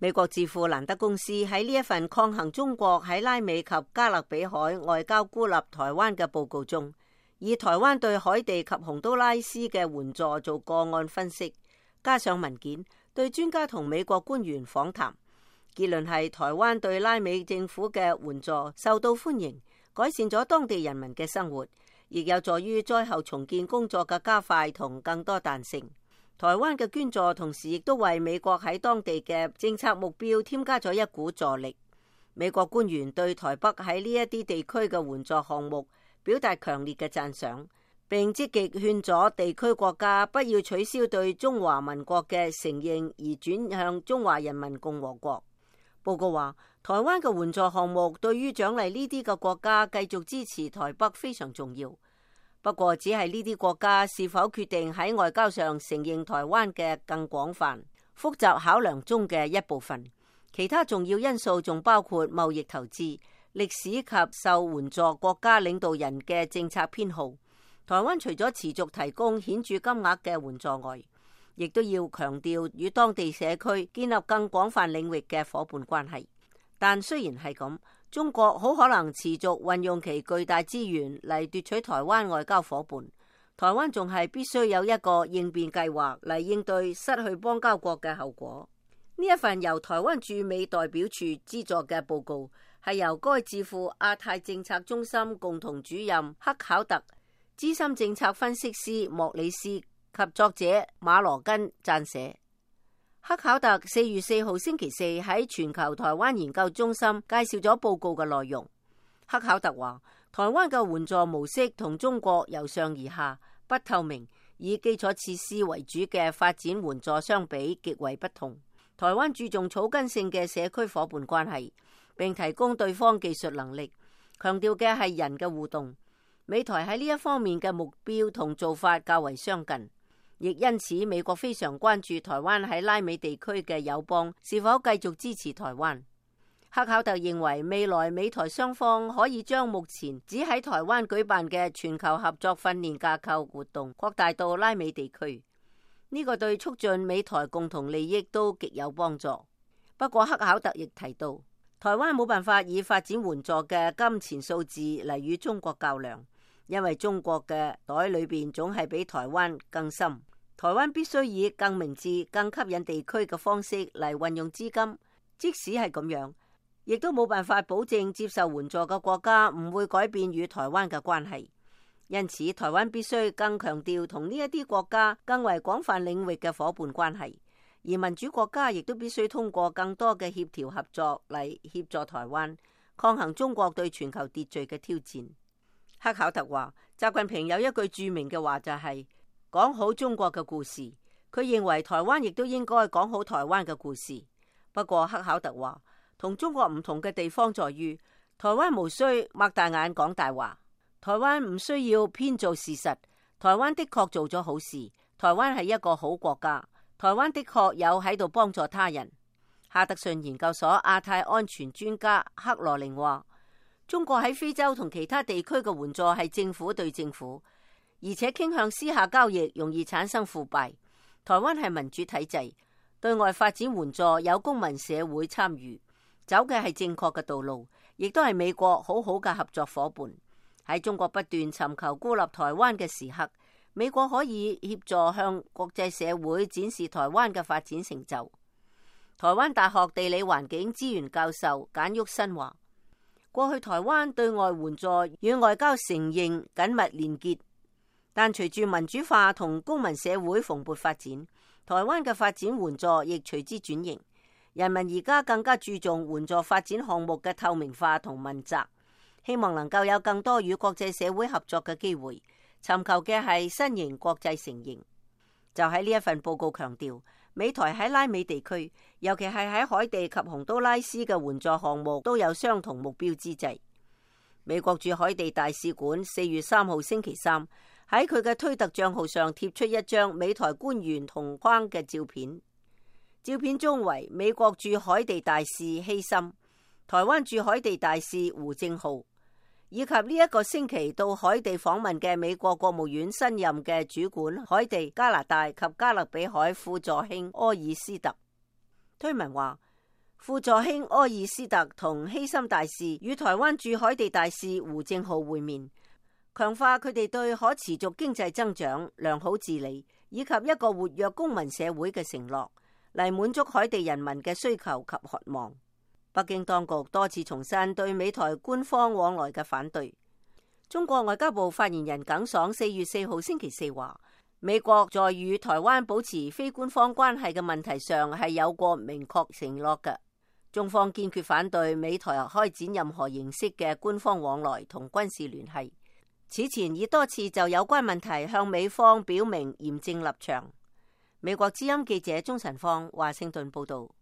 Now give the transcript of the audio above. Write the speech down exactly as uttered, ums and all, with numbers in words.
美國智庫蘭德公司喺呢一份抗衡中國喺拉美及加勒比海外交孤立台灣嘅報告中，以台灣對海地及洪都拉斯嘅援助做個案分析，加上文件對專家同美國官員訪談，結論係台灣對拉美政府嘅援助受到歡迎，改善咗當地人民嘅生活，亦有助於災後重建工作嘅加快同更多彈性。台灣嘅捐助同時亦都為美國喺當地嘅政策目標添加咗一股助力。美國官員對台北喺呢一啲地區嘅援助項目表達強烈嘅讚賞，並積極勸阻地區國家不要取消對中華民國嘅承認，而轉向中華人民共和國。報告話，台灣嘅援助項目對於獎勵呢啲嘅國家繼續支持台北非常重要。不過，只係呢啲國家是否決定喺外交上承認台灣嘅更廣泛、複雜考量中嘅一部分。其他重要因素仲包括貿易投資、歷史及受援助國家領導人嘅政策偏好。台灣除咗持續提供顯著金額嘅援助外，亦都要強調與當地社區建立更廣泛領域嘅夥伴關係。但雖然係咁，中國好可能持續運用其巨大資源嚟奪取台灣外交夥伴。台灣仲係必須有一個應變計劃嚟應對失去邦交國嘅後果。呢一份由台灣駐美代表處資助嘅報告，係由該智庫亞太政策中心共同主任克考特、資深政策分析師莫里斯及作者馬羅根撰寫。克考特四月四號星期四喺全球台灣研究中心介紹咗報告嘅內容。克考特話，台灣嘅援助模式同中國由上而下、不透明、以基礎設施為主嘅發展援助相比極為不同。台灣注重草根性嘅社區夥伴關係，並提供對方技術能力，強調嘅係人嘅互動。美台喺呢一方面嘅目標同做法較為相近。亦因此，美國非常關注台灣喺拉美地區嘅友邦是否繼續支持台灣。克考特認為，未來美台雙方可以將目前只喺台灣舉辦嘅全球合作訓練架構活動擴大到拉美地區，呢個對促進美台共同利益都極有幫助。不過，克考特亦提到，台灣冇辦法以發展援助嘅金錢數字嚟與中國較量，因為中國嘅袋裏邊總係比台灣更深。台灣必須以更明智、更吸引地區嘅方式嚟運用資金，即使係咁樣，亦都冇辦法保證接受援助嘅國家唔會改變與台灣嘅關係。因此，台灣必須更強調同呢一啲國家更為廣泛領域嘅夥伴關係，而民主國家亦都必須通過更多嘅協調合作嚟協助台灣抗衡中國對全球秩序嘅挑戰。克考特話，習近平有一句著名嘅話就係講好中國嘅故事，佢認為台灣亦都應該講好台灣嘅故事。不過克考特話，同中國唔同嘅地方在於，台灣無需擘大眼講大話，台灣唔需要編造事實，台灣的確做咗好事，台灣係一個好國家，台灣的確有喺度幫助他人。哈德遜研究所亞太安全專家克羅寧話，中國喺非洲同其他地區嘅援助係政府對政府，而且傾向私下交易，容易產生腐敗。台灣係民主體制，對外發展援助有公民社會參與，走嘅係正確嘅道路，亦都係美國好好嘅合作夥伴。喺中國不斷尋求孤立台灣嘅時刻，美國可以協助向國際社會展示台灣嘅發展成就。台灣大學地理環境資源教授簡旭新話，過去台灣對外援助與外交承認緊密連結，但隨住民主化同公民社會蓬勃發展，台灣嘅發展援助亦隨之轉型。人民而家更加注重援助發展項目嘅透明化同問責，希望能夠有更多與國際社會合作嘅機會，尋求嘅係新型國際承認。就喺呢一份報告強調，美台喺拉美地區，尤其係喺海地及洪都拉斯嘅援助項目都有相同目標之際。美國駐海地大使館四月三號星期三喺佢嘅推特賬號上貼出一張美台官員同框嘅照片，照片中為美國駐海地大使希森、台灣駐海地大使胡正浩，以及呢一個星期到海地訪問嘅美國國務院新任嘅主管海地、加拿大及加勒比海副助卿柯爾斯特。推文話，副助卿柯爾斯特同希森大使與台灣駐海地大使胡正浩會面，強化佢哋對可持續經濟增長、良好治理以及一個活躍公民社會嘅承諾，嚟滿足海地人民嘅需求及渴望。北京當局多次重申對美台官方往來嘅反對。中國外交部發言人耿爽四月四號星期四話，美國在與台灣保持非官方關係嘅問題上係有過明確承諾嘅。中方堅決反對美台開展任何形式嘅官方往來同軍事聯繫。此前已多次就有關問題向美方表明嚴正立場。美國之音記者鍾晨芳華盛頓報道。